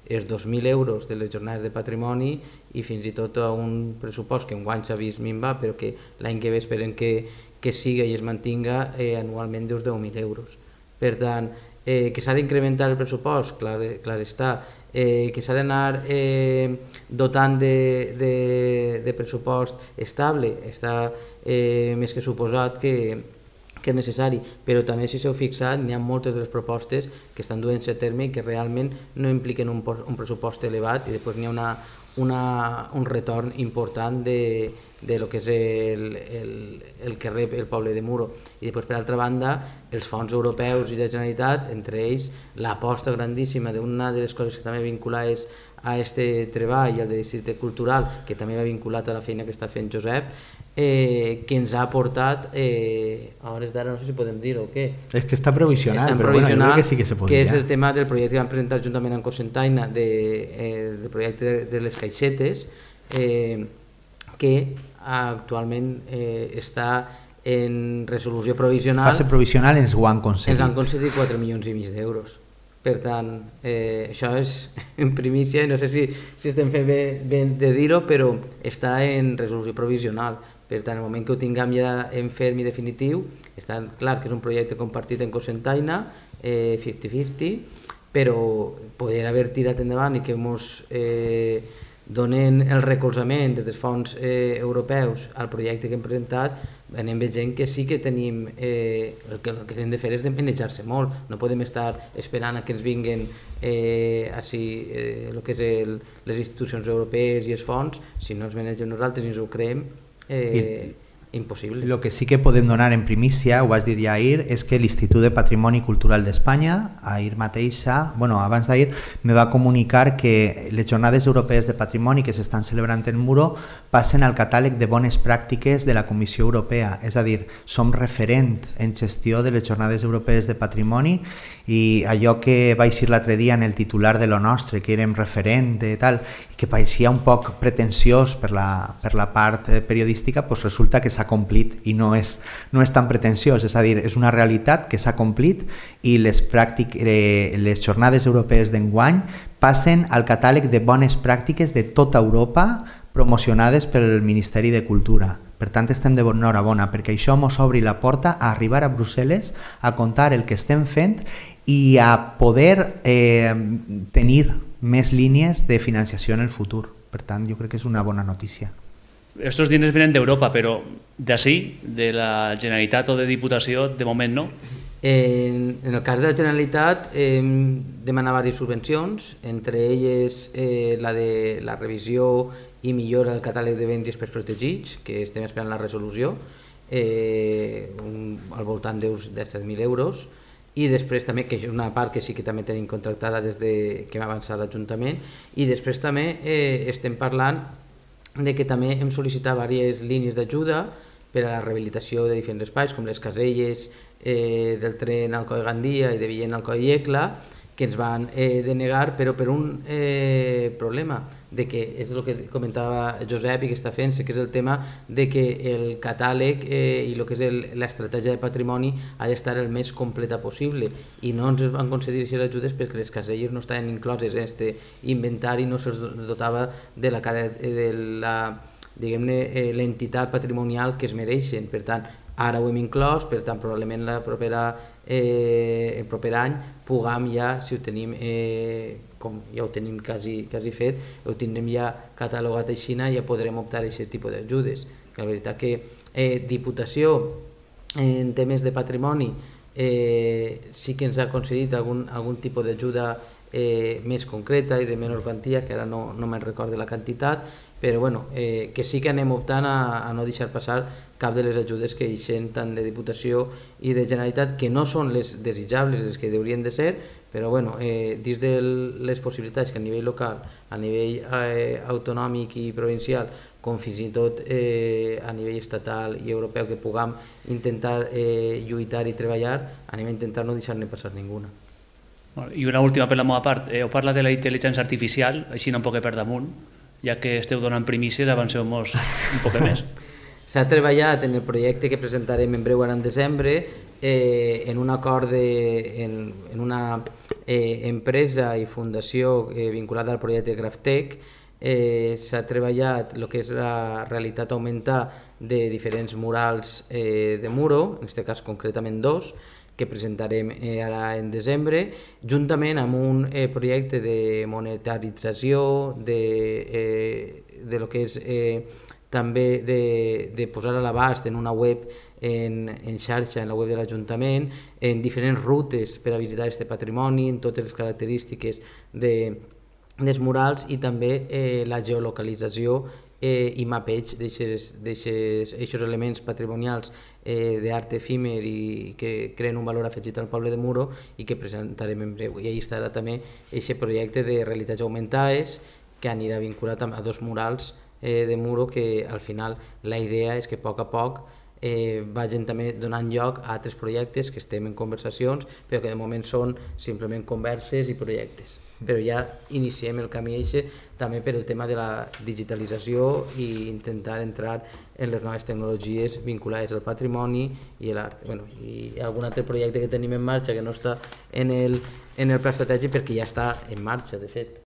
els dos mil euros de les jornades de patrimoni i fins i tot a un pressupost que enguany s'ha vist minvar, però que l'any que ve esperen que, que siga i es mantinga eh, anualment d'uns deu mil euros. Per tant, eh, que s'ha d'incrementar el pressupost, clar, clar està, eh, que s'ha d'anar eh, dotant de, de, de pressupost estable, està eh, més que suposat que, que és necessari, però també si s'heu fixat n'hi ha moltes de les propostes que estan duent-se a terme i que realment no impliquen un, un pressupost elevat i després n'hi ha una, una, un retorn important de, de lo que és el, el, el que rep el poble de Muro. I després, per altra banda, els fons europeus i de Generalitat, entre ells l'aposta grandíssima d'una de les coses que també vinculades a aquest treball, el de districte cultural, que també va vinculat a la feina que està fent Josep, eh, que ens ha portat, eh, a hores d'ara no sé si podem dir-ho o què. És que està provisional, està però provisional, bueno, jo crec que sí que se podria. Que és el tema del projecte que vam presentar juntament amb Cosentaina, de, eh, del projecte de, de les caixetes, eh, que actualment eh, està en resolució provisional. Fase provisional ens ho han concedit. Ens han concedit quatre milions i mig d'euros. Per tant, eh, això és en primícia, no sé si, si estem fent bé, bé de dir-ho, però està en resolució provisional. Per tant, en el moment que ho tinguem ja en ferm i definitiu, està clar que és un projecte compartit en Cosentaina, eh, cinquanta cinquanta, però poder haver tirat endavant i que ens eh, donen el recolzament des dels fons eh, europeus al projecte que hem presentat, anem veient que sí que tenim, eh, el, que, el que hem de fer és de manejar-se molt, no podem estar esperant a que ens vinguin eh, així, eh, el que és el, les institucions europees i els fons, si no ens manegem nosaltres i ens ho creem, eh, impossible. Lo que sí que podem donar en primícia, ho vas dir ja ahir, és que l'Institut de Patrimoni Cultural d'Espanya, ahir mateixa, bueno, abans d'ahir, me va comunicar que les Jornades Europees de Patrimoni que s'estan celebrant en Muro passen al catàleg de bones pràctiques de la Comissió Europea, és a dir, som referent en gestió de les Jornades Europees de Patrimoni, i allò que va eixir l'altre dia en el titular de lo nostre, que érem referent i tal, i que pareixia un poc pretensiós per la, per la part periodística, doncs resulta que s'ha complit i no és, no és tan pretensiós, és a dir, és una realitat que s'ha complit i les, pràctic, eh, les jornades europees d'enguany passen al catàleg de bones pràctiques de tota Europa promocionades pel Ministeri de Cultura. Per tant, estem d'enhorabona perquè això ens obri la porta a arribar a Brussel·les a contar el que estem fent i a poder eh, tenir més línies de financiació en el futur. Per tant, jo crec que és una bona notícia. Estos diners venen d'Europa, però d'ací, de la Generalitat o de Diputació, de moment no? En, en el cas de la Generalitat eh, demana diverses subvencions, entre elles eh, la de la revisió i millora del catàleg de béns i espais protegits, que estem esperant la resolució, eh, un, al voltant de set mil euros, i després també, que és una part que sí que també tenim contractada des de que hem avançat l'Ajuntament, i després també eh, estem parlant de que també hem sol·licitat diverses línies d'ajuda per a la rehabilitació de diferents espais, com les caselles eh, del tren al Coll Gandia i de Villena al Coll Iecla, que ens van eh, denegar, però per un eh, problema, de que és el que comentava Josep i que està fent, que és el tema de que el catàleg eh, i el que és l'estratègia de patrimoni ha d'estar el més completa possible, i no ens van concedir aquestes ajudes perquè les caselles no estaven incloses en aquest inventari, no se'ls dotava de la, de la diguem-ne, l'entitat patrimonial que es mereixen. Per tant, ara ho hem inclòs, per tant, probablement la propera, eh, el proper any puguem ja, si ho tenim, eh, com ja ho tenim quasi, quasi fet, ho tindrem ja catalogat així i ja podrem optar a aquest tipus d'ajudes. La veritat que eh, Diputació en temes de patrimoni eh, sí que ens ha concedit algun, algun tipus d'ajuda eh, més concreta i de menor quantia, que ara no, no me'n recordo la quantitat, però bueno, eh, que sí que anem optant a, a no deixar passar cap de les ajudes que eixen tant de Diputació i de Generalitat, que no són les desitjables, les que haurien de ser, però bueno, eh, dins de les possibilitats que a nivell local, a nivell eh, autonòmic i provincial, com fins i tot eh, a nivell estatal i europeu, que puguem intentar eh, lluitar i treballar, anem a intentar no deixar-ne passar ninguna. I una última per la meva part, heu parlat de la intel·ligència artificial, així un poc per damunt, ja que esteu donant primícies, avanceu-nos un poc més. S'ha treballat en el projecte que presentarem en breu ara en desembre, eh, en un acord de, en, en una eh, empresa i fundació eh, vinculada al projecte Graftec. Eh, s'ha treballat el que és la realitat augmentar de diferents murals eh, de Muro, en aquest cas concretament dos, que presentarem eh, ara en desembre, juntament amb un eh, projecte de monetarització, de, eh, de lo que és eh, també de, de posar a l'abast en una web en, en xarxa, en la web de l'Ajuntament, en diferents rutes per a visitar aquest patrimoni, en totes les característiques de, dels murals, i també eh, la geolocalització eh, i mapeig d'aquests elements patrimonials eh, d'art efímer i que creen un valor afegit al poble de Muro i que presentarem en breu. I ahí estarà també aquest projecte de realitats augmentades que anirà vinculat a dos murals eh, de Muro, que al final la idea és que a poc a poc eh, vagin també donant lloc a altres projectes que estem en conversacions, però que de moment són simplement converses i projectes. Però ja iniciem el camí eixe també per el tema de la digitalització i intentar entrar en les noves tecnologies vinculades al patrimoni i l'art. Bueno, i algun altre projecte que tenim en marxa que no està en el, en el pla estratègic perquè ja està en marxa, de fet.